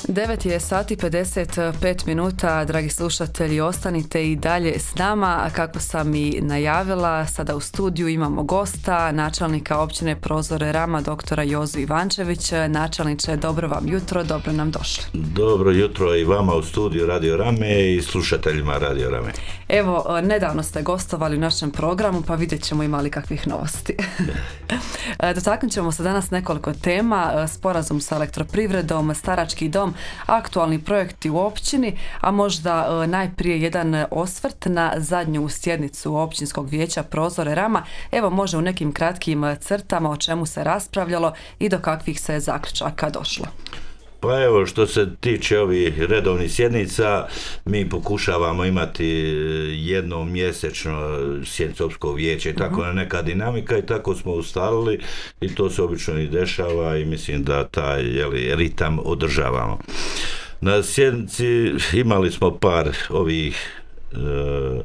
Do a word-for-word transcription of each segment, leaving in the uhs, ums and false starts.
devet je sati pedeset pet minuta, dragi slušatelji, ostanite i dalje s nama. Kako sam i najavila, sada u studiju imamo gosta, načelnika općine Prozore Rama, doktora Jozu Ivančević. Načelniče, dobro vam jutro, dobro nam došli. Dobro jutro i vama u studiju Radio Rame i slušateljima Radio Rame. Evo, nedavno ste gostovali u našem programu, pa vidjet ćemo imali kakvih novosti. Dotaknut ćemo se danas nekoliko tema: sporazum sa elektroprivredom, starački dom, aktualni projekti u općini, a možda najprije jedan osvrt na zadnju sjednicu općinskog vijeća Prozore Rama. Evo, može u nekim kratkim crtama o čemu se raspravljalo i do kakvih se zaključaka došlo. Pa evo, što se tiče ovih redovnih sjednica, mi pokušavamo imati jednom mjesečno sjednicu općinskog vijeća i tako uh-huh. neka dinamika i tako smo ustalili i to se obično i dešava i mislim da taj jeli, ritam održavamo. Na sjednici imali smo par ovih e,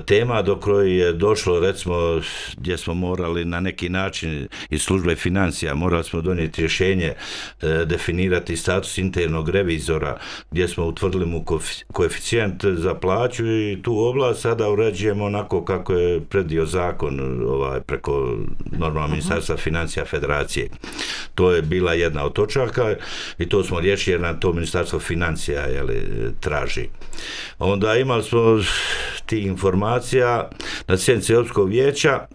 tema do koje je došlo, recimo, gdje smo morali na neki način iz službe financija, morali smo donijeti rješenje, e, definirati status internog revizora, gdje smo utvrdili mu koeficijent za plaću i tu oblast sada uređujemo onako kako je predio zakon ovaj, preko normalno ministarstva financija federacije. To je bila jedna od točaka i to smo riješili jer nam to ministarstvo financija jeli, traži. Onda imali smo ti informacije informacija na sjednici općinskog vijeća.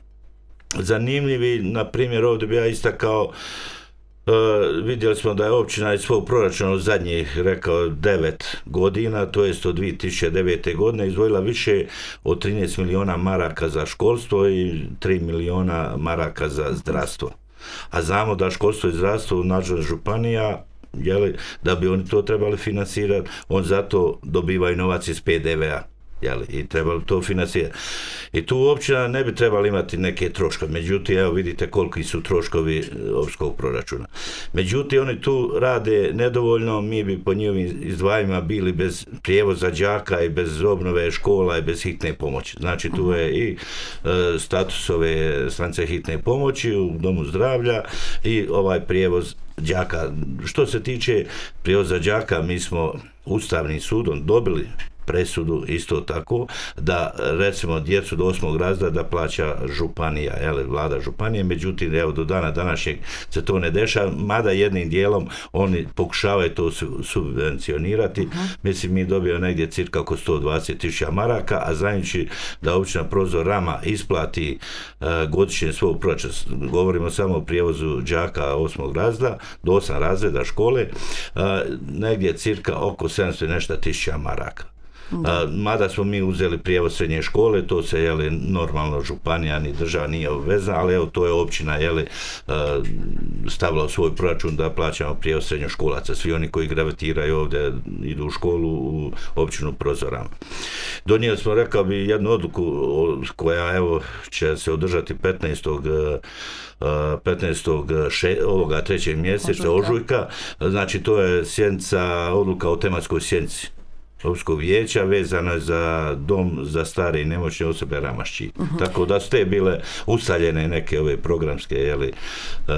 Zanimljivi, na primjer, ovdje bi ja istakao, uh, vidjeli smo da je općina iz svog proračuna od zadnjih, rekao, devet godina, to jest od dvije tisuće devete. godine, izdvojila više od trinaest milijuna maraka za školstvo i tri milijuna maraka za zdravstvo. A znamo da školstvo i zdravstvo u nadležnosti županija, jeli, da bi oni to trebali financirati, on zato dobivaju novac iz pe de ve a. Jeli, i trebali to financirati. I tu općina ne bi trebali imati neke troškove. Međutim, evo vidite koliki su troškovi općinskog proračuna. Međutim, oni tu rade nedovoljno, mi bi po njihovim izdvajanjima bili bez prijevoza đaka i bez obnove škola i bez hitne pomoći. Znači, tu je i e, status ove stanice hitne pomoći u domu zdravlja i ovaj prijevoz đaka. Što se tiče prijevoza đaka, mi smo Ustavnim sudom dobili presudu isto tako da recimo djecu do osmog razreda da plaća županija, jel, vlada županije, međutim evo do dana današnjeg se to ne dešava, mada jednim dijelom oni pokušavaju to subvencionirati. Uh-huh. Mislim, mi dobijemo negdje cirka oko sto dvadeset tisuća maraka, a znajući da općina Prozor Rama isplati uh, godišnje svog proračuna, govorimo samo o prijevozu đaka osmog razreda do osam razreda škole, uh, negdje cirka oko sedamsto nešto tisuća maraka. A, mada smo mi uzeli prijevoz srednje škole, to se jeli, normalno županija ni država nije obvezna, ali evo to je općina jeli, stavila u svoj proračun da plaćamo prijevoz srednjoškolaca. Svi oni koji gravitiraju ovdje idu u školu u općinu Prozor Rama. Donijeli smo, rekao bi, jednu odluku koja evo će se održati petnaestog petnaestog ovoga trećeg mjeseca ožujka. Znači to je sjednica, odluka o tematskoj sjednici općinskog vijeća vezano za dom za stare i nemoćne osobe Ramašći. Uh-huh. Tako da su te bile ustaljene neke ove programske jeli, uh,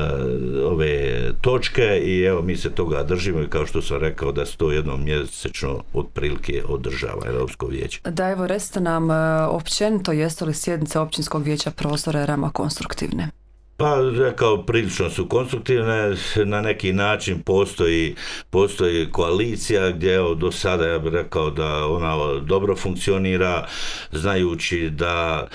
ove točke i evo mi se toga držimo i kao što sam rekao da se to jednom mjesečno otprilike održava općinsko vijeće. Da, evo recite nam općenito, jesu li sjednice općinskog vijeća Prozore Rama konstruktivne? Pa, rekao, prilično su konstruktivne, na neki način postoji, postoji koalicija gdje evo, do sada ja bih rekao da ona dobro funkcionira, znajući da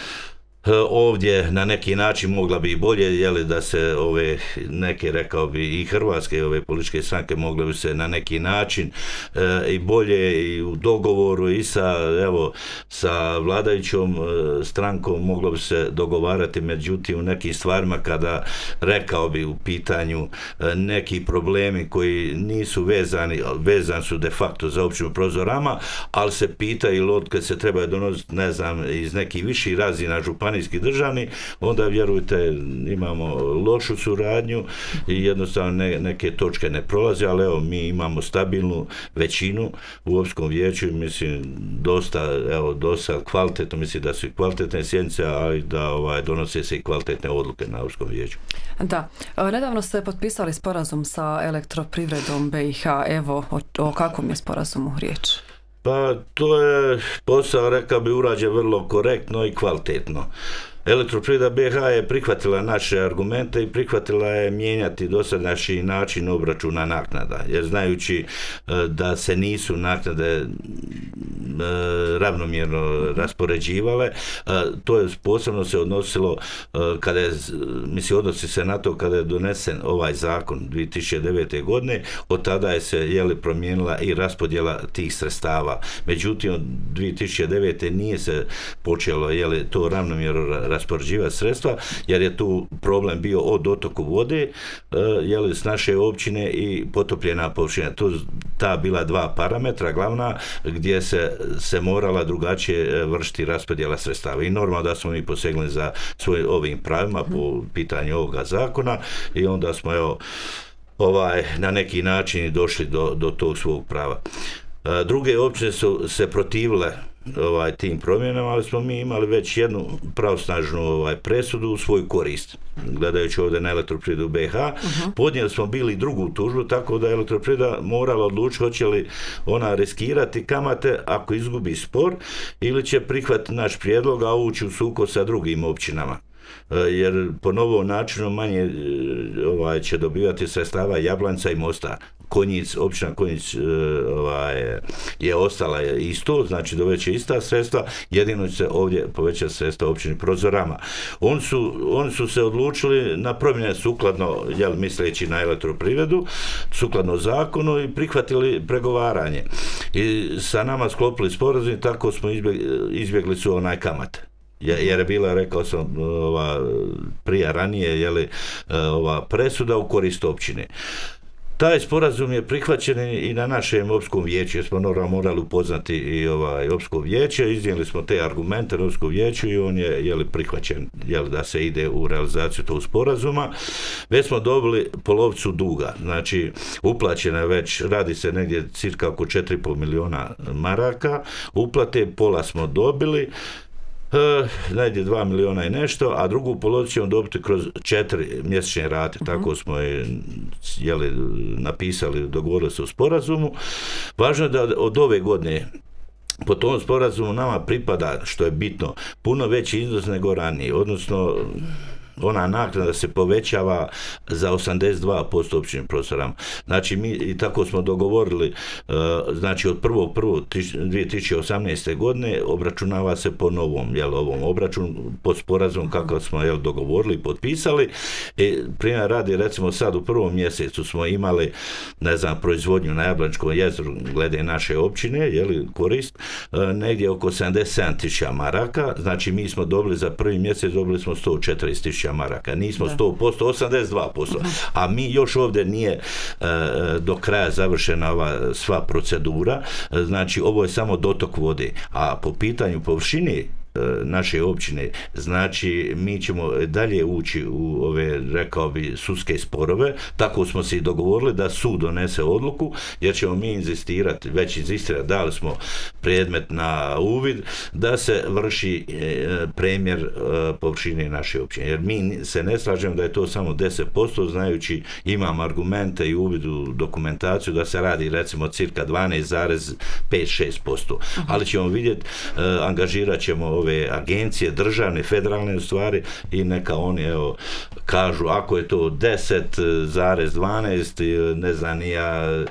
ovdje na neki način mogla bi i bolje, jeli, da se ove neke, rekao bi, i hrvatske ove političke stranke mogle bi se na neki način e, i bolje i u dogovoru i sa, evo, sa vladajućom e, strankom moglo bi se dogovarati, međutim u nekim stvarima kada, rekao bi, u pitanju e, neki problemi koji nisu vezani, vezani su de facto za općinu Prozor Rama, ali se pita ili od kad se treba donositi, ne znam, iz nekih viših razina županije županijski državni, onda vjerujte imamo lošu suradnju i jednostavno ne, neke točke ne prolaze, ali evo mi imamo stabilnu većinu u općinskom vijeću, mislim dosta, evo dosta kvalitetno, mislim da su i kvalitetne sjednice, ali da ovaj, donose se i kvalitetne odluke na općinskom vijeću. Da, nedavno ste potpisali sporazum sa Elektroprivredom B i H, evo o, o kakvom je sporazumu riječ? Pa to je posao, rekao bi, urađen vrlo korektno i kvalitetno. Elektroprivreda B i H je prihvatila naše argumente i prihvatila je mijenjati dosadašnji način obračuna naknada, jer znajući da se nisu naknade ravnomjerno raspoređivale, to je posebno se odnosilo kada je, mislim, odnosi se na to kada je donesen ovaj zakon dvije tisuće devete. godine, od tada je se jeli promijenila i raspodjela tih sredstava. Međutim, od dvije tisuće devete. nije se počelo jeli to ravnomjerno raspoređivati sredstva, jer je tu problem bio o dotoku vode, jeli s naše općine i potopljena površina. Tu ta bila dva parametra glavna gdje se se morala drugačije vršiti raspodjela sredstava. I normalno da smo mi posegnuli za svojim ovim pravima po pitanju ovoga zakona i onda smo evo ovaj na neki način došli do, do tog svog prava. Druge općine su se protivile ovaj tim promjenama, ali smo mi imali već jednu pravosnažnu ovaj presudu u svoju korist. Gledajući ovdje na Elektroprivredu B i H, uh-huh. podnijeli smo bili drugu tužbu, tako da je Elektroprivreda morala odlučiti hoće li ona riskirati kamate ako izgubi spor ili će prihvatiti naš prijedlog, a ući u sukob sa drugim općinama. Jer po novom načinu manje ovaj, će dobivati sredstava Jablanca i Mostar. Konjic, općina Konjic ovaj, je ostala isto, znači doveće ista sredstva, jedino će se ovdje povećati sredstva općini Prozorama. Oni su, oni su se odlučili na promjene sukladno, jel, misleći na Elektroprivredu, sukladno zakonu i prihvatili pregovaranje. I sa nama sklopili sporazum i tako smo izbjegli, izbjegli su onaj kamate. Jer je bila, rekao sam, ova, prije ranije, jeli, ova presuda u korist općine. Taj sporazum je prihvaćen i na našem općinskom vijeću, jer smo morali upoznati i ovaj općinsko vijeće, iznijeli smo te argumente na općinskom vijeću i on je jeli, prihvaćen jeli, da se ide u realizaciju tog sporazuma. Već smo dobili polovicu duga, znači uplaćena već, radi se negdje cirka oko četiri i pol milijuna maraka, uplate pola smo dobili, Uh, negdje dva miliona i nešto, a drugu polovicu ćemo dobiti kroz četiri mjesečne rate, uh-huh. tako smo je jeli, napisali, dogovorili se u sporazumu. Važno je da od ove godine po tom sporazumu nama pripada, što je bitno, puno veći iznos nego ranije, odnosno ona naknada se povećava za osamdeset dva posto općinim Prozorama. Znači mi i tako smo dogovorili, znači od prvog prvog dvije tisuće osamnaeste. godine obračunava se po novom, jel, ovom obračunu pod sporazumom kako smo jel, dogovorili i potpisali. I primjer radi, recimo sad u prvom mjesecu smo imali, ne znam, proizvodnju na Jablančkom jezeru glede naše općine, jel, korist, negdje oko sedamdeset sedam tisuća maraka, znači mi smo dobili za prvi mjesec, dobili smo sto četrdeset tisuća maraka, nismo sto posto, osamdeset dva posto, a mi još ovdje nije e, do kraja završena ova sva procedura, znači ovo je samo dotok vode, a po pitanju površine naše općine, znači mi ćemo dalje ući u ove, rekao bi, sudske sporove, tako smo se i dogovorili da sud donese odluku, jer ćemo mi inzistirati, već inzistirati, dali smo predmet na uvid, da se vrši e, premjer e, površine naše općine, jer mi se ne slažemo da je to samo deset posto, znajući imam argumente i uvid u dokumentaciju da se radi recimo cirka dvanaest zarez pet šest posto, ali ćemo vidjeti, e, angažirat ćemo ove agencije, državne, federalne stvari i neka oni evo kažu ako je to deset zarez dvanaest, ne znam nija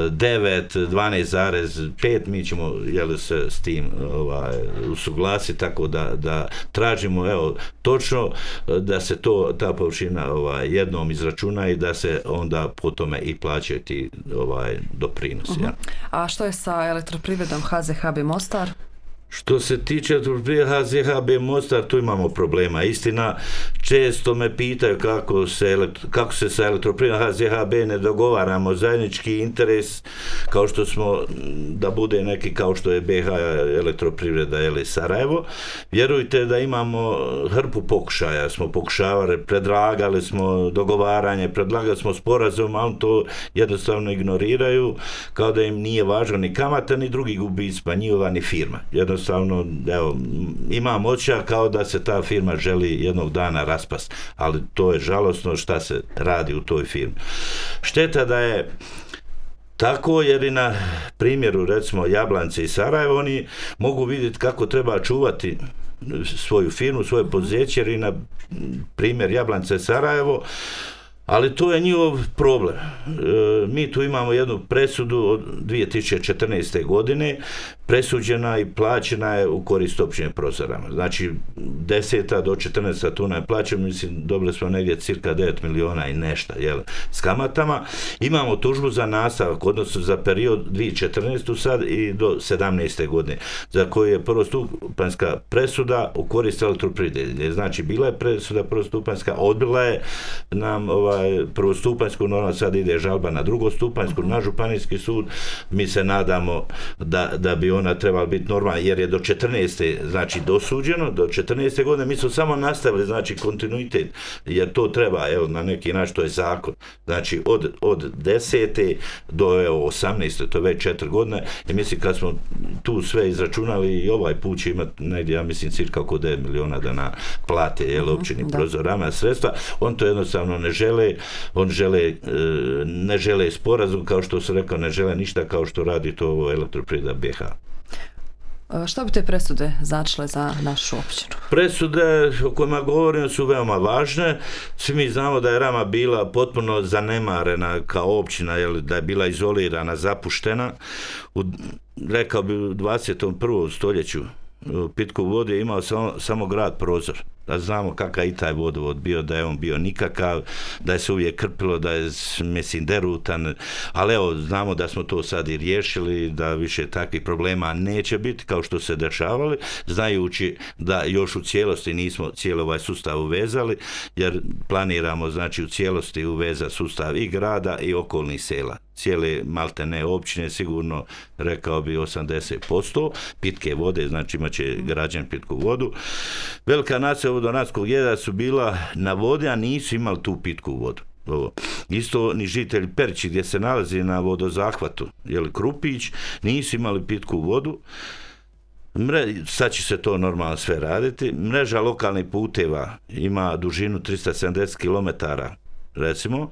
devet, dvanaest zarez pet, mi ćemo jel, se s tim ovaj, usuglasiti, tako da, da tražimo evo točno da se to ta površina ovaj, jednom izračuna i da se onda po tome i plaćaju ti ovaj, doprinosi. Uh-huh. Ja. A što je sa Elektroprivredom H Z H B Mostar? Što se tiče H Z H B Mostar, tu imamo problema. Istina, često me pitaju kako se, kako se sa elektroprivredom H Z H B ne dogovaramo zajednički interes, kao što smo, da bude neki kao što je B H elektroprivreda ili Sarajevo. Vjerujte da imamo hrpu pokušaja, smo pokušavali, predlagali smo dogovaranje, predlagali smo sporazum, ali to jednostavno ignoriraju, kao da im nije važno ni kamata, ni drugi gubici, pa njihova ni firma. Jednostavno Jednostavno, evo, imam osjećaj kao da se ta firma želi jednog dana raspast, ali to je žalosno šta se radi u toj firmi. Šteta da je tako, jer i na primjeru, recimo, Jablance i Sarajevo, oni mogu vidjeti kako treba čuvati svoju firmu, svoje poduzeće, jer i na primjer Jablance i Sarajevo, ali to je njihov problem. E, mi tu imamo jednu presudu od dvije tisuće četrnaeste. godine, presuđena i plaćena je u korist općine Prozorama. Znači, deseta do četrnaesta tuna je plaćena, mislim, dobili smo negdje cirka devet miliona i nešto, jel, s kamatama. Imamo tužbu za nastavak, odnosno za period dvije tisuće četrnaeste. sad i do sedamnaeste. godine, za koju je prvostupanjska presuda u korist elektroprivrede. Znači, bila je presuda prvostupanjska, odbila je nam ovaj, prvostupanjsku, normalno sad ide žalba na drugostupanjsku, na županijski sud. Mi se nadamo da, da bi ona trebala biti normalna, jer je do četrnaeste. znači dosuđeno, do četrnaeste. godine mi smo samo nastavili, znači kontinuitet, jer to treba, evo, na neki način, to je zakon. Znači od, od desete do evo, osamnaeste. to je već četiri godine, i mislim kad smo tu sve izračunali, i ovaj put će imati negdje, ja mislim, cirka oko devet miliona da na plate, jel, općini uh-huh, Prozorama sredstva. On to jednostavno ne žele, on žele, ne žele sporazum, kao što sam rekao, ne žele ništa kao što radi to elektroprivreda B H. Što bi te presude značile za našu općinu? Presude o kojima govorim su veoma važne. Svi mi znamo da je Rama bila potpuno zanemarena kao općina, jel, da je bila izolirana, zapuštena. U, rekao bi, u dvadeset prvom. stoljeću pitku vodu je imao samo, samo grad Prozor. Da znamo kakav i taj vodovod bio, da je on bio nikakav, da je se uvijek krpilo, da je, mislim, derutan, ali evo, znamo da smo to sad i riješili, da više takvih problema neće biti kao što se dešavali, znajući da još u cijelosti nismo cijeli ovaj sustav uvezali, jer planiramo, znači, u cijelosti uveza sustav i grada i okolnih sela. Cijele maltene općine, sigurno, rekao bi, osamdeset posto pitke vode, znači imat će građani pitku vodu. Velika naselja vodonadskog jezera su bila na vodi, a nisu imali tu pitku vodu. Ovo. Isto ni žitelji Perići, gdje se nalazi na vodozahvatu, jel, Krupić, nisu imali pitku vodu. Mre, sad će se to normalno sve raditi. Mreža lokalnih puteva ima dužinu tristo sedamdeset kilometara, recimo.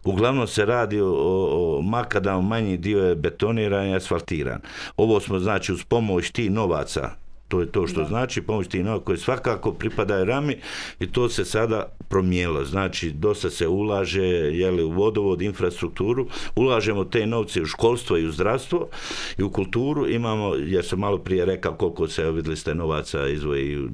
Uglavnom se radi o, o makadamu, manji dio je betoniran i asfaltiran. Ovo smo, znači, uz pomoć tih novaca, to je to što da. znači, pomoć tih novaca koji svakako pripadaju Rami, i to se sada promijenilo. Znači, dosta se ulaže, jeli, u vodovod, infrastrukturu, ulažemo te novce u školstvo i u zdravstvo i u kulturu. Imamo, jer sam malo prije rekao koliko se, vidjeli ste, novaca izvoji u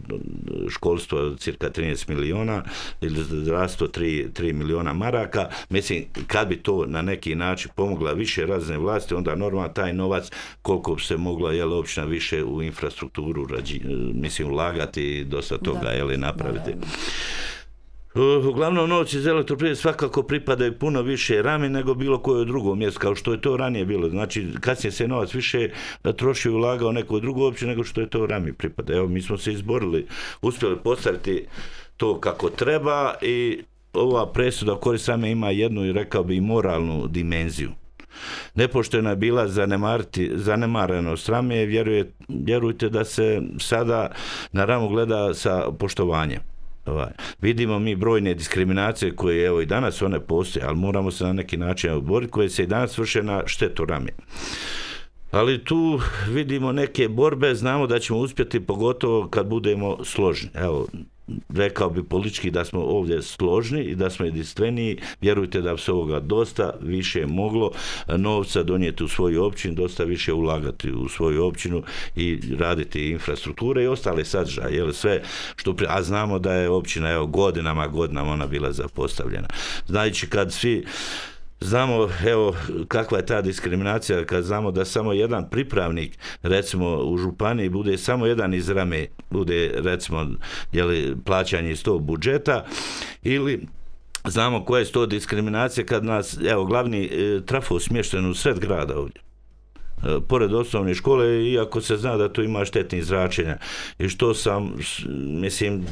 školstvo, cirka trinaest miliona, ili zdravstvo tri miliona maraka. Mislim, kad bi to na neki način pomogla više razne vlasti, onda normalno taj novac, koliko bi se mogla, jel, općina više u infrastrukturu rađi, mislim, ulagati i dosta toga, jel, napraviti. Da, da. Uglavnom, novci iz elektroprivrede svakako pripadaju puno više Rami nego bilo koje drugo mjesto, kao što je to ranije bilo. Znači, kasnije se novac više trošio i ulagao neko drugo opće nego što je to Rami pripada. Evo, mi smo se izborili, uspjeli postaviti to kako treba, i ova presuda u korist Rame ima jednu, i rekao bi, moralnu dimenziju. Nepoštena je bila zanemarenost Rame, vjeruje, vjerujte da se sada na Ramu gleda sa poštovanjem. Ovaj. Vidimo mi brojne diskriminacije koje, evo, i danas one postoje, ali moramo se na neki način oboriti, koje se i danas vrše na štetu Rame. Ali tu vidimo neke borbe, znamo da ćemo uspjeti, pogotovo kad budemo složni. Evo, rekao bi politički da smo ovdje složni i da smo jedinstveniji. Vjerujte da bi se ovoga dosta više moglo novca donijeti u svoju općinu, dosta više ulagati u svoju općinu i raditi infrastrukture i ostale sadržaje, jel, sve što, a znamo da je općina, evo, godinama, godinama ona bila zapostavljena. Znači, kad svi Znamo, evo, kakva je ta diskriminacija kad znamo da samo jedan pripravnik, recimo u županiji, bude samo jedan iz Rame, bude, recimo, jeli, plaćanje iz tog budžeta, ili znamo koja je to diskriminacija kad nas, evo, glavni e, trafo smješten u sred grada ovdje, pored osnovne škole, iako se zna da tu ima štetnih zračenja. I što sam, mislim,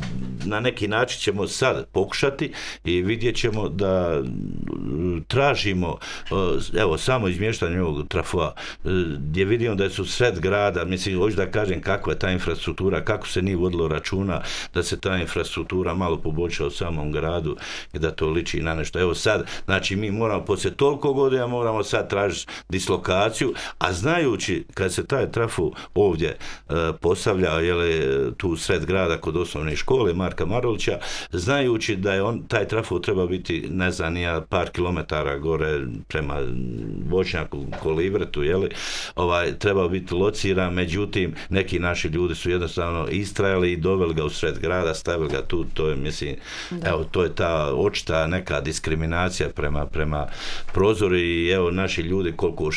na neki način ćemo sad pokušati i vidjet ćemo da tražimo, evo, samo izmještanje ovog trafoa, gdje vidimo da su sred grada, mislim, hoću da kažem kakva je ta infrastruktura, kako se nije vodilo računa da se ta infrastruktura malo poboljša u samom gradu i da to liči na nešto. Evo sad, znači, mi moramo, poslije toliko godina, moramo sad tražiti dislokaciju, a znajući kad se taj trafo ovdje e, postavlja, jele, tu sred grada kod osnovne škole Marka Marulića, znajući da je on, taj trafo treba biti, ne znam, nija par kilometara gore prema Voćnjaku, Kolivretu, jele, ovaj, treba biti lociran, međutim, neki naši ljudi su jednostavno istrajali i doveli ga u sred grada, stavili ga tu, to je, mislim, da. Evo, to je ta očita neka diskriminacija prema, prema prozoru i evo, naši ljudi koliko,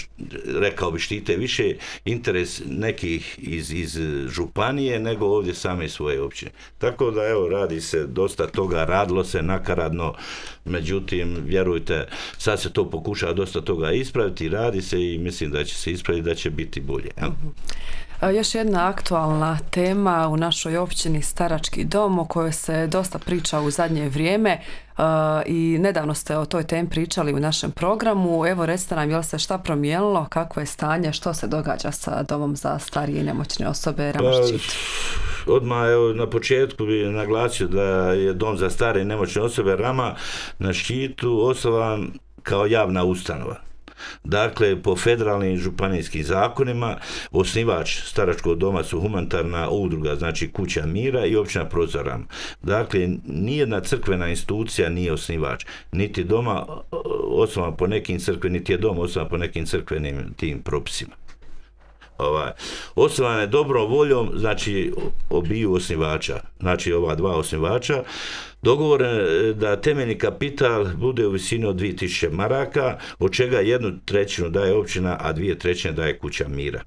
rekao bi, štite više interes nekih iz, iz županije nego ovdje same svoje općine. Tako da, evo, radi se dosta toga, radilo se nakaradno, međutim, vjerujte, sad se to pokušava dosta toga ispraviti, radi se i mislim da će se ispraviti, da će biti bolje. Ja? Još jedna aktualna tema u našoj općini Starački dom, o kojoj se dosta priča u zadnje vrijeme uh, i nedavno ste o toj temi pričali u našem programu. Evo, recite nam, je li se šta promijenilo, kakvo je stanje, što se događa sa domom za starije i nemoćne osobe Rama-Ščit? Pa, odmah, evo, na početku bih naglasio da je dom za stare i nemoćne osobe Rama na Ščitu osnovan kao javna ustanova. Dakle, po federalnim i županijskim zakonima, osnivač staračkog doma su humanitarna udruga, znači Kuća mira i općina Prozor Rama. Dakle, nijedna crkvena institucija nije osnivač, niti doma osnovan po nekim crkvenim, niti je dom osnovan po nekim crkvenim tim propisima. Ovaj, osnovan je dobrom voljom, znači, obiju osnivača, znači ova dva osnivača, dogovoren da temeljni kapital bude u visini od dvije tisuće maraka, od čega jednu trećinu daje općina, a dvije trećine daje Kuća mira.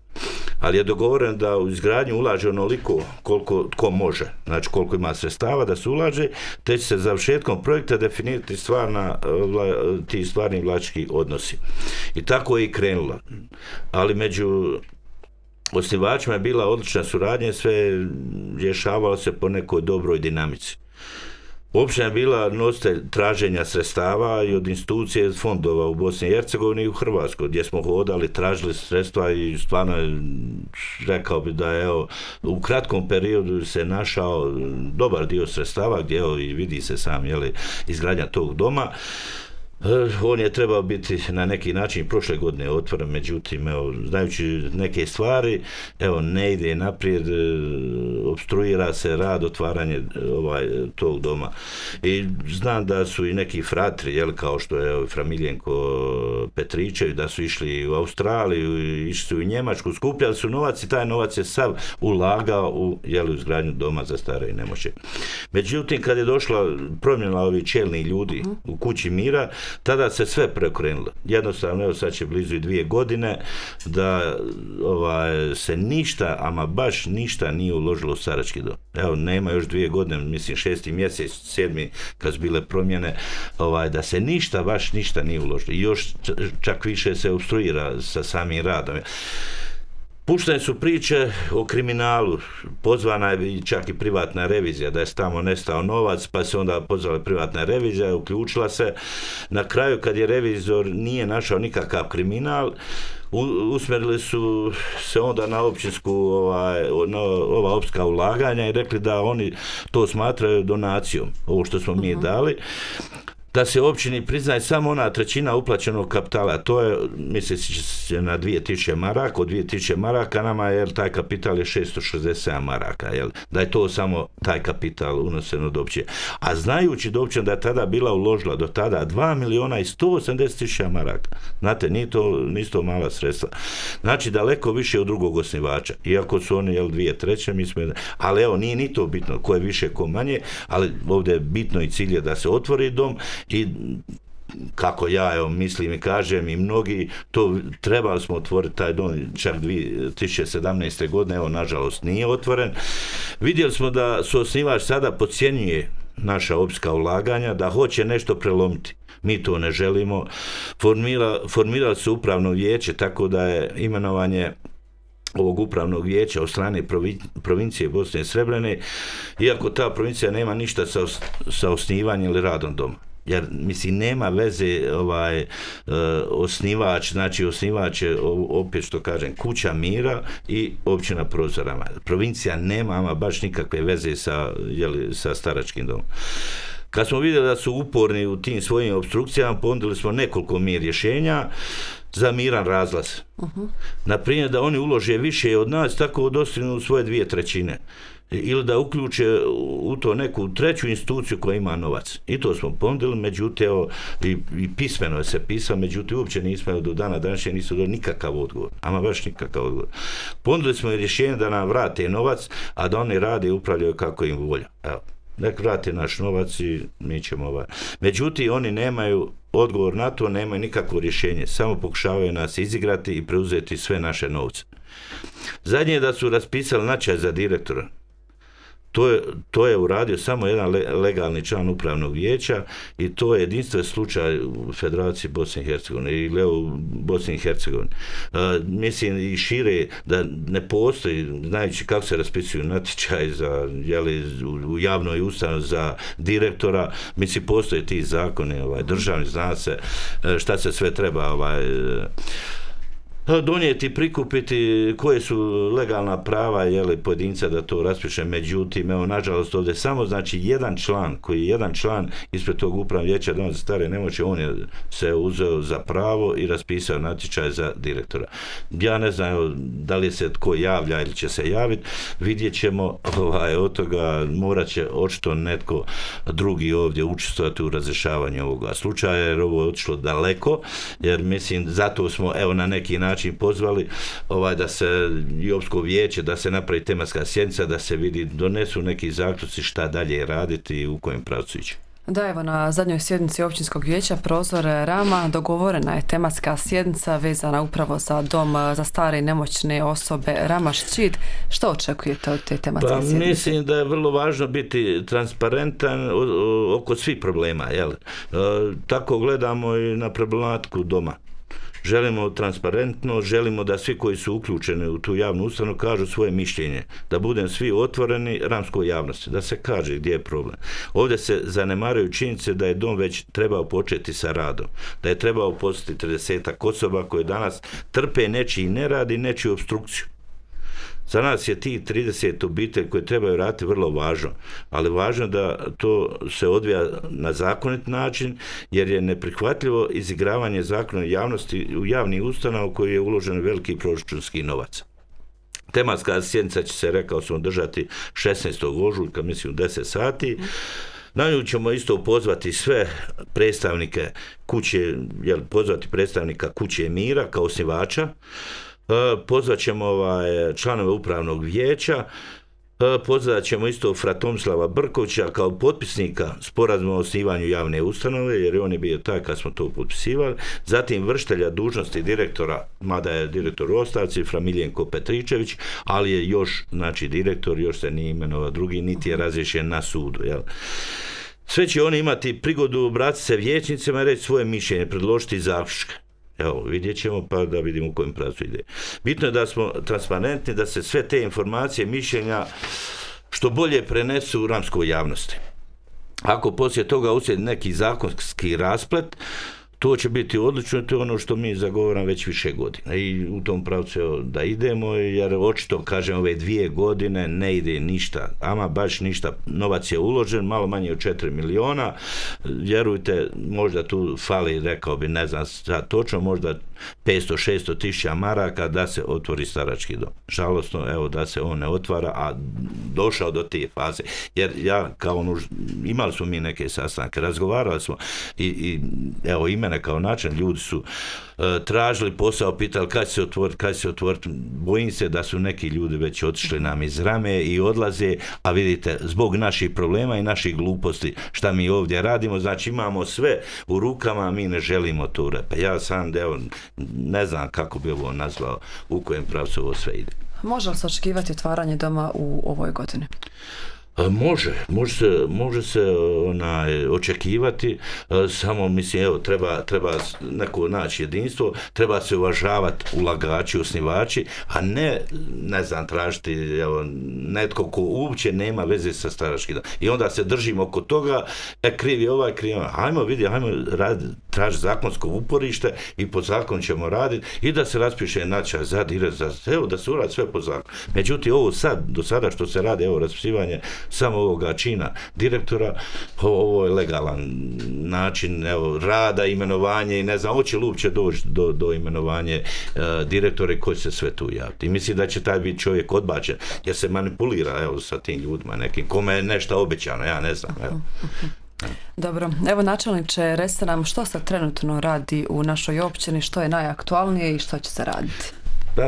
Ali je dogovoren da u izgradnju ulaže onoliko koliko tko može, znači koliko ima sredstava da se ulaže, te će se završetkom projekta definirati stvarna, ti stvarni vlasnički odnosi. I tako je i krenulo. Ali među osnivačima je bila odlična suradnja, sve rješavalo se po nekoj dobroj dinamici. Općina je bila nositelj traženja sredstava i od institucije fondova u Bosni i Hercegovini i u Hrvatskoj, gdje smo hodali, tražili sredstva i stvarno rekao bi da je, evo, u kratkom periodu se našao dobar dio sredstava, gdje, evo, i vidi se sam, jeli, izgradnja tog doma. On je trebao biti na neki način prošle godine otvoren, međutim, evo, znajući neke stvari, evo, ne ide naprijed, opstruira se rad, otvaranje ovaj, tog doma. I znam da su i neki fratri, jel, kao što je Framiljenko Petričev, da su išli u Australiju, išli su u Njemačku, skupljali su novac i taj novac je sav ulagao u, jel, u izgradnju doma za stare i nemoćne. Međutim, kad je došla promjena ovih čelnih ljudi u Kući mira, tada se sve preokrenulo. Jednostavno, evo, sad će blizu i dvije godine da ovaj, se ništa, ama baš ništa nije uložilo u starački dom. Evo, nema još dvije godine, mislim šesti mjesec, sedmi, kad su bile promjene, ovaj, da se ništa, baš ništa nije uložilo. I još čak više se obstruira sa samim radom. Puštene su priče o kriminalu, pozvana je čak i privatna revizija, da je tamo nestao novac, pa se onda pozvala privatna revizija, uključila se. Na kraju, kad je revizor nije našao nikakav kriminal, usmjerili su se onda na općinsku, ovaj, na ova općinska ulaganja i rekli da oni to smatraju donacijom, ovo što smo mi dali. Da se općini priznaje samo ona trećina uplaćenog kapitala, to je, misli se, na dvije tisuće maraka, od dvije tisuće maraka nama, jer taj kapital je šesto šezdeset sedam maraka, jel, da je to samo taj kapital unosen od općine. A znajući da općina da je tada bila uložila do tada dva milijuna i sto osamdeset tisuća maraka, znate, nije to, nisu to mala sredstva. Znači, daleko više od drugog osnivača, iako su oni, jel, dvije treće, mi smo, ali evo, nije ni to bitno, ko je više, ko manje, ali ovdje je bitno i cilj je da se otvori dom. I kako ja evo, mislim i kažem i mnogi, to trebali smo otvoriti taj dom čak dvije tisuće sedamnaeste. godine, evo nažalost nije otvoren. Vidjeli smo da su osnivač sada podcjenjuje naša općinska ulaganja, da hoće nešto prelomiti. Mi to ne želimo. Formira, formirali su upravno vijeće, tako da je imenovanje ovog upravnog vijeća od strane provincije Bosne i Srebrene, iako ta provincija nema ništa sa, sa osnivanjem ili radom doma. Jer, mislim, nema veze ovaj, uh, osnivač, znači osnivač je, opet što kažem, Kuća mira i općina Prozorama. Provincija nema ama baš nikakve veze sa, jeli, sa staračkim domom. Kad smo vidjeli da su uporni u tim svojim opstrukcijama, ponudili smo nekoliko mi rješenja za miran razlaz. Uh-huh. Naprimjer, da oni ulože više od nas, tako dostignu svoje dvije trećine. Ili da uključe u to neku treću instituciju koja ima novac. I to smo ponudili, međutim, evo, i, i pismeno je se pisao, međutim, uopće nismo do dana današnje nisu dobili nikakav odgovor. Ama baš nikakav odgovor. Ponudili smo i rješenje da nam vrate novac, a da oni rade i upravljaju kako im volja. Evo, nek vrate naš novac i mi ćemo ovaj. Međutim, oni nemaju odgovor na to, nemaju nikakvo rješenje. Samo pokušavaju nas izigrati i preuzeti sve naše novce. Zadnje je da su raspisali natječaj za direktora. To je, to je uradio samo jedan le, legalni član upravnog vijeća i to je jedinstven slučaj u Federaciji Bosne i Hercegovine ili u Bosni i Hercegovini. Uh, mislim i šire da ne postoji, znajući kako se raspisuju natječaj za, jeli, u, u javnoj ustanovi za direktora, mislim postoje ti zakoni, ovaj, državni, zna se šta se sve treba ovaj, donijeti, prikupiti, koje su legalna prava jeli, pojedinca da to raspiše. Međutim, evo, nažalost, ovdje samo znači jedan član, koji je jedan član ispred tog upravnog vijeća Doma za stare nemoćne, on je se uzeo za pravo i raspisao natječaj za direktora. Ja ne znam evo, da li se tko javlja ili će se javiti, vidjet ćemo ovaj, od toga morat će očito netko drugi ovdje učestvovati u razrješavanju ovoga slučaja, jer ovo je otišlo daleko, jer mislim, zato smo evo na neki način pozvali ovaj, da se i općinsko vijeće, da se napravi tematska sjednica, da se vidi, donesu neki zaključci šta dalje raditi i u kojem pravcu ići. Da, evo na zadnjoj sjednici općinskog vijeća Prozore Rama dogovorena je tematska sjednica vezana upravo za dom za stare i nemoćne osobe Rama Ščit. Što očekujete od te tematske pa, sjednice? Mislim da je vrlo važno biti transparentan oko svih problema. Jel? Tako gledamo i na problematiku doma. Želimo transparentno, želimo da svi koji su uključeni u tu javnu ustanovu kažu svoje mišljenje, da budem svi otvoreni ramskoj javnosti, da se kaže gdje je problem. Ovdje se zanemaraju činjenice da je dom već trebao početi sa radom, da je trebao postati tridesetak osoba koje danas trpe nečiji nerad i nečiju opstrukciju. Za nas je ti trideset obitelji koje trebaju raditi vrlo važno, ali važno da to se odvija na zakonit način, jer je neprihvatljivo izigravanje zakona javnosti u javni ustanov u koji je uložen veliki proračunski novac. Tematska sjednica će se, rekao sam, održati šesnaestog ožujka, mislim u deset sati. Na nju ćemo isto pozvati sve predstavnike kuće, jel, pozvati predstavnika Kuće mira kao osnivača, pozvat ćemo ovaj, članove upravnog vijeća, pozvat ćemo isto fra Tomislava Brkovića kao potpisnika sporazuma o osnivanju javne ustanove, jer on je bio taj kad smo to potpisivali, zatim vršitelja dužnosti direktora, mada je direktor u ostavci, fra Miljenko Petričević, ali je još, znači, direktor, još se nije imenovao drugi, niti je razriješen na sudu, jel? Sve će oni imati prigodu obratiti se vijećnicima i reći svoje mišljenje, predložiti zaključke. Evo, vidjet ćemo pa da vidimo u kojem pravcu ide. Bitno je da smo transparentni, da se sve te informacije, mišljenja što bolje prenesu u ramskoj javnosti. Ako poslije toga uslijedi neki zakonski rasplet, to će biti odlično, to je ono što mi zagovaram već više godina i u tom pravcu da idemo, jer očito, kažem, ove dvije godine ne ide ništa, ama baš ništa, novac je uložen, malo manje od četiri miliona, vjerujte, možda tu fali, rekao bi, ne znam sad točno, možda petsto šesto tisuća maraka da se otvori starački dom. Žalostno, evo, da se on ne otvara, a došao do te faze, jer ja, kao ono, imali smo mi neke sastanke, razgovarali smo i, i evo, ime mene kao način, ljudi su uh, tražili posao, pitali kad će se otvoriti, kad će se otvoriti. Bojim se da su neki ljudi već otišli nam iz rame i odlaze, a vidite, zbog naših problema i naših gluposti šta mi ovdje radimo, znači imamo sve u rukama, a mi ne želimo to. Pa ja sam, evo, ne znam kako bi ovo nazvao, u kojem pravcu ovo sve ide. Može li se očekivati otvaranje doma u ovoj godini? Može, može se, može se onaj, očekivati, samo mislim, evo, treba, treba neko naći jedinstvo, treba se uvažavati ulagači, osnivači, a ne, ne znam, tražiti, evo, netko ko uopće nema veze sa staračkim domom. I onda se držimo oko toga, e, krivi ovaj, krivi ovaj, hajmo vidi, hajmo tražiti zakonsko uporište i po zakonu ćemo raditi i da se raspiše natječaj za direktora, evo, da se uradi sve po zakonu. Međutim, ovo sad, do sada što se radi, evo, raspisivanje samo ovoga čina direktora, ovo je legalan način, evo, rada, imenovanje i ne znam, hoće li uopće doći do, do imenovanje uh, direktora i ko će se sve tu javiti. I mislim da će taj biti čovjek odbačen, jer se manipulira, evo, sa tim ljudima nekim, kome je nešto obećano, ja ne znam, evo. Dobro, evo načelniče, recite nam što se trenutno radi u našoj općini, što je najaktualnije i što će se raditi? Pa,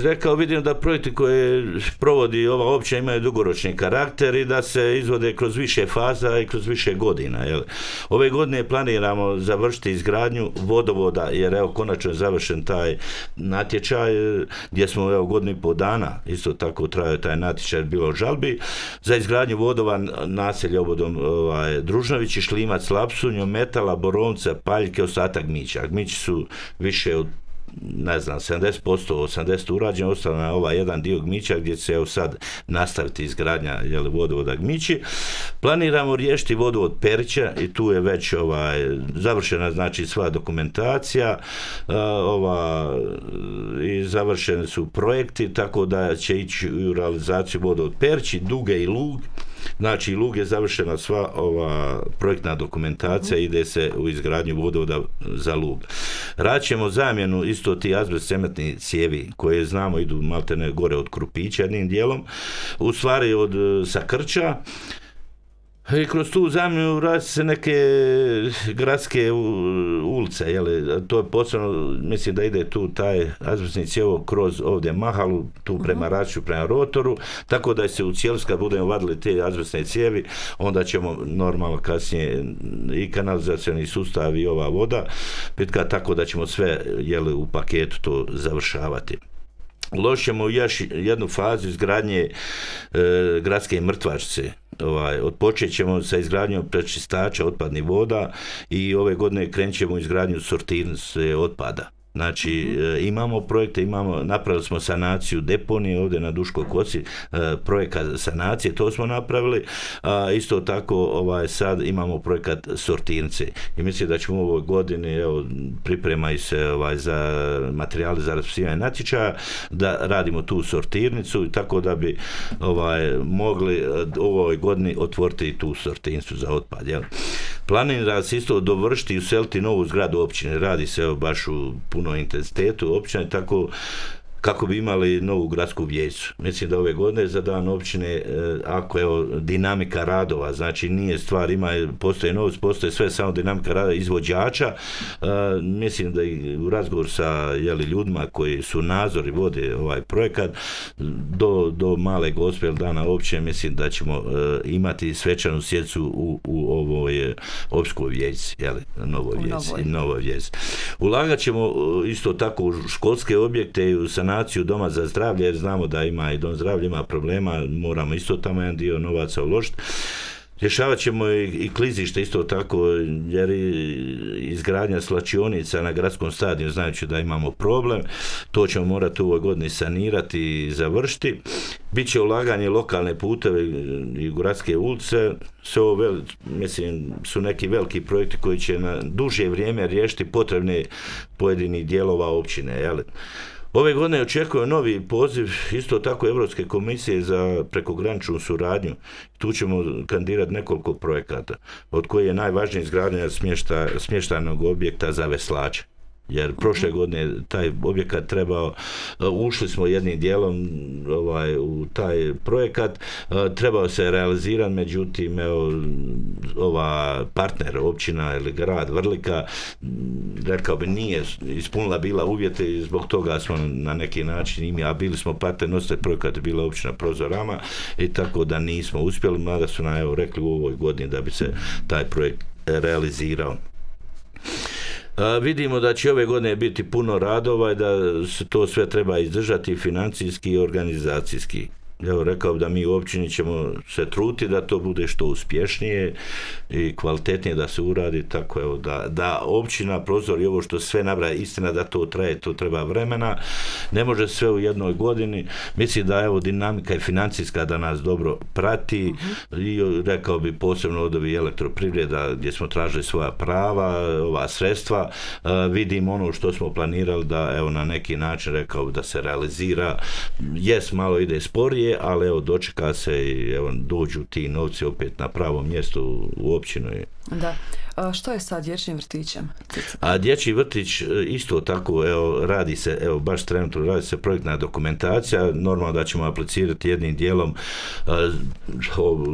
rekao, vidim da projekti koje provodi ova općina imaju dugoročni karakter i da se izvode kroz više faza i kroz više godina. Jel? Ove godine planiramo završiti izgradnju vodovoda, jer evo konačno je završen taj natječaj gdje smo evo godinu i pol dana, isto tako trajao taj natječaj, bilo žalbi, za izgradnju vodova naselja obodom ovaj, Družnovići, Šlimac, Lapsunjo, Metala, Borovca, Paljke, ostatak Gmića. Gmići su više od ne znam, sedamdeset posto, osamdeset posto urađeno, ostalo na ovaj jedan dio Gmića gdje će evo sad nastaviti izgradnja jel, vodovoda Gmići. Planiramo riješiti vodovod Perića i tu je već ovaj, završena znači sva dokumentacija uh, ova, i završeni su projekti, tako da će ići u realizaciju vodovod Perići, Duge i Lug. Znači, Lug je završena sva ova projektna dokumentacija, ide se u izgradnju vodovoda za Lug. Raćemo zamjenu isto ti azbest cementni cijevi koje znamo idu maltene gore od Krupića jednim dijelom, u stvari od Sakrča. I kroz tu zamjenu radi se neke gradske ulice, jeli, to je posebno, mislim da ide tu taj azbestni cijev kroz ovdje Mahalu, tu prema Raču, prema Rotoru, tako da se u cijelosti kad budemo vadili te azbestne cijevi, onda ćemo normalno kasnije i kanalizacioni sustav i ova voda pitka, tako da ćemo sve jeli, u paketu to završavati. Uložit ćemo još jednu fazu izgradnje e, gradske mrtvačnice. Ovaj, odpočet ćemo sa izgradnjom prečistača otpadnih voda i ove godine krenut ćemo u izgradnju sortirnice otpada. Znači, mm-hmm. imamo projekte, imamo, napravili smo sanaciju deponije ovdje na Duškoj kosi, projekat sanacije, to smo napravili, a isto tako ovaj, sad imamo projekat sortirnice i mislim da ćemo u ovoj godini, evo, pripremaju se ovaj, za materijali za raspisivanje natječaja, da radimo tu sortirnicu, tako da bi ovaj, mogli u ovoj godini otvoriti tu sortirnicu za otpad. Jel? Planira se isto dovršiti i useliti novu zgradu općine, radi se evo, baš u puno intenzitetu općine, tako kako bi imali novu gradsku vijeću. Mislim da ove godine za dan općine, ako je dinamika radova, znači nije stvar, ima, postoje novac, postoje sve samo dinamika rada izvođača, mislim da i u razgovor sa jeli, ljudima koji su nadzori vode ovaj projekat, do, do male gospe dana općine, mislim da ćemo imati svečanu sjednicu u, u ovoj općinskoj vijećci, jeli, novoj vijećci, novoj vijećci. Ulagat ćemo isto tako u školske objekte i u sanaciju doma za zdravlje, jer znamo da ima i dom zdravlja, ima problema, moramo isto tamo jedan dio novaca uložiti. Rješavat ćemo i, i klizište isto tako, jer izgradnja slačionica na gradskom stadionu, znajući da imamo problem, to ćemo morati u ovoj godini sanirati i završiti. Biće ulaganje lokalne puteve i gradske ulice, sve ovo vel, mislim, su neki veliki projekti koji će na duže vrijeme riješiti potrebne pojedinih dijelova općine, jel? Ove godine očekuje novi poziv isto tako Europske komisije za prekograničnu suradnju. Tu ćemo kandidirati nekoliko projekata, od koji je najvažniji izgradnja smješta, smještajnog objekta za veslače. jer prošle godine taj objekat trebao, ušli smo jednim dijelom ovaj, u taj projekat, trebao se realizirati, međutim evo, ova partner, općina ili grad Vrlika, rekao bi nije ispunila bila uvjete i zbog toga smo na neki način imi, a bili smo partner, nositelj projekata bila općina Prozorama i tako da nismo uspjeli, mada su nam evo rekli u ovoj godini da bi se taj projekt realizirao. A, vidimo da će ove godine biti puno radova i da se to sve treba izdržati financijski i organizacijski. Evo, rekao da mi u općini ćemo se truditi da to bude što uspješnije i kvalitetnije da se uradi, tako evo, da, da općina Prozor i ovo što sve nabraja, istina da to traje, to treba vremena, ne može sve u jednoj godini. Mislim da evo dinamika i financijska da nas dobro prati uh-huh. i rekao bi posebno od ovih elektroprivreda gdje smo tražili svoja prava, ova sredstva, uh, vidimo ono što smo planirali da evo na neki način rekao da se realizira. Jes, malo ide sporije, ali evo dočeka se i evo dođu ti novci opet na pravo mjesto u općinu. Da. A što je sa dječjim vrtićem? A dječji vrtić isto tako, evo, radi se, evo, baš trenutno radi se projektna dokumentacija, normalno da ćemo aplicirati jednim dijelom uh,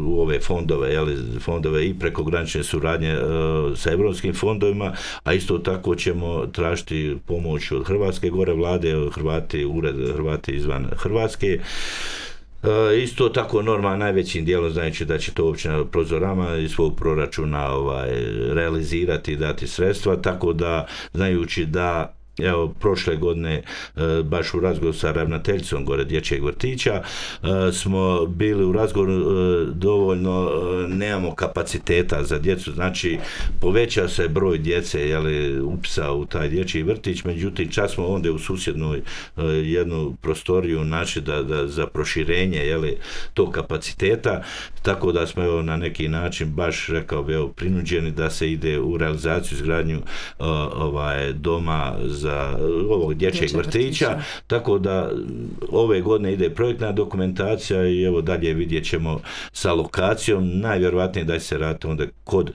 u ove fondove, jeli, fondove i prekogranične suradnje uh, sa europskim fondovima, a isto tako ćemo tražiti pomoć od Hrvatske gore vlade, Hrvati, ured Hrvati izvan Hrvatske. E, isto tako normalno najvećim dijelom znajući da će to općina Prozorama iz svog proračuna ovaj, realizirati i dati sredstva, tako da znajući da evo prošle godine baš u razgovoru sa ravnateljicom gore dječjeg vrtića smo bili u razgovoru dovoljno nemamo kapaciteta za djecu, znači poveća se broj djece jeli, upisa u taj dječji vrtić, međutim čak smo onda u susjednoj jednu prostoriju naći da, da za proširenje jeli, tog kapaciteta, tako da smo evo, na neki način baš rekao bi evo, prinuđeni da se ide u realizaciju izgradnju ovaj, doma za ovog dječjeg vrtića, vrtića, tako da ove godine ide projektna dokumentacija i evo dalje vidjet ćemo sa lokacijom, najvjerojatnije da se radi onda kod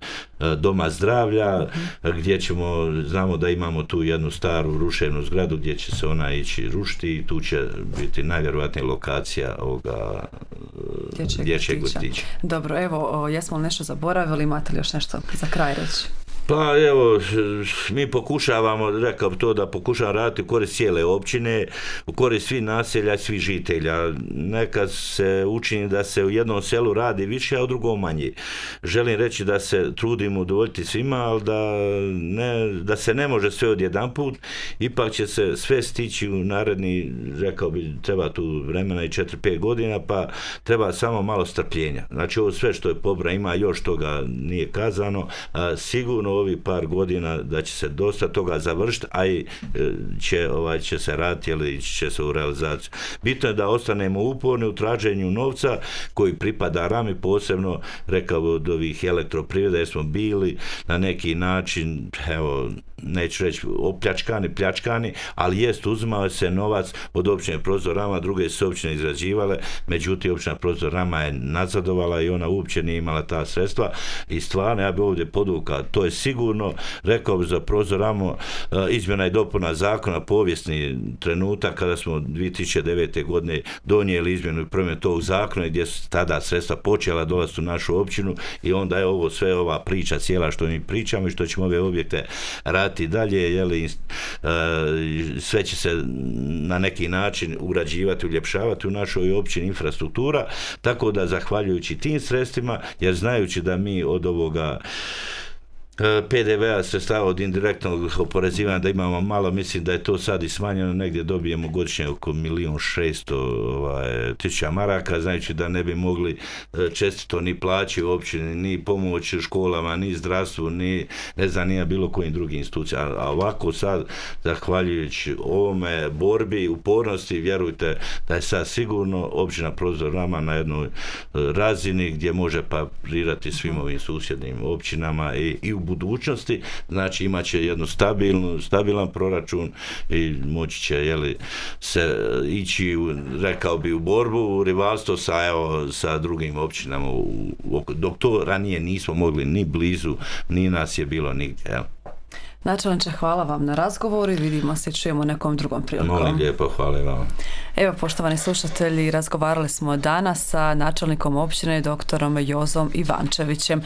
doma zdravlja, uh-huh. gdje ćemo, znamo da imamo tu jednu staru ruševnu zgradu gdje će se ona ići rušiti i tu će biti najvjerojatnije lokacija ovoga dječjeg, dječjeg vrtića. vrtića. Dobro, evo, jesmo li nešto zaboravili, imate li još nešto za kraj reći? Pa evo, mi pokušavamo, rekao bi to da pokušavamo raditi u korist cijele općine, u korist svih naselja, svih žitelja. Nekad se učini da se u jednom selu radi više, a u drugom manje. Želim reći da se trudimo udovoljiti svima, ali da, ne, da se ne može sve odjedanput, ipak će se sve stići u naredni, rekao bi, treba tu vremena i četiri pet godina, pa treba samo malo strpljenja. Znači ovo sve što je pobra, ima još toga nije kazano, a sigurno ovi par godina da će se dosta toga završiti, a i će, ovaj, će se raditi ili će se u realizaciju. Bitno je da ostanemo uporni u traženju novca koji pripada Rami, posebno rekao od ovih elektroprivreda, jer smo bili na neki način, evo, neću reći opljačkani, pljačkani, ali jest uzimao se novac od općine Prozorama, druge su općine izrađivale, međutim općina Prozorama je nazadovala i ona uopće nije imala ta sredstva i stvarno ja bi ovdje podvukao, to je sigurno, rekao bi za Prozoramo izmjena i dopuna zakona, povijesni trenutak kada smo dvije tisuće devete. godine donijeli izmjenu i promjenu tog zakona gdje su tada sredstva počela dolaziti u našu općinu i onda je ovo sve ova priča cijela što mi pričamo i što ćemo ove objekte raditi dalje, jeli, sve će se na neki način ugrađivati, uljepšavati u našoj općini infrastruktura, tako da zahvaljujući tim sredstvima, jer znajući da mi od ovoga P D V-a sredstava od indirektnog oporezivanja da imamo malo, mislim da je to sad i smanjeno, negdje dobijemo godišnje oko milijun šesto ovaj, tisuća maraka, znajući da ne bi mogli čestito ni plaći u općini, ni pomoć školama, ni zdravstvu, ni ne znam, nije bilo kojim drugim institucijama. A ovako sad, zahvaljujući ovome borbi, upornosti, vjerujte da je sad sigurno općina Prozorama na jednoj razini gdje može parirati svim ovim susjednim općinama i, i u budućnosti, znači imat će jednu stabilnu, stabilan proračun i moći će jeli, se ići, u, rekao bi, u borbu, u rivalstvo sa, evo, sa drugim općinama, u, u, dok to ranije nismo mogli ni blizu, ni nas je bilo nigdje. Evo. Načelniče, hvala vam na razgovoru i vidimo se i čujemo nekom drugom prilikom. Molim lijepo, hvala vam. Evo, poštovani slušatelji, razgovarali smo danas sa načelnikom općine doktorom Jozom Ivančevićem.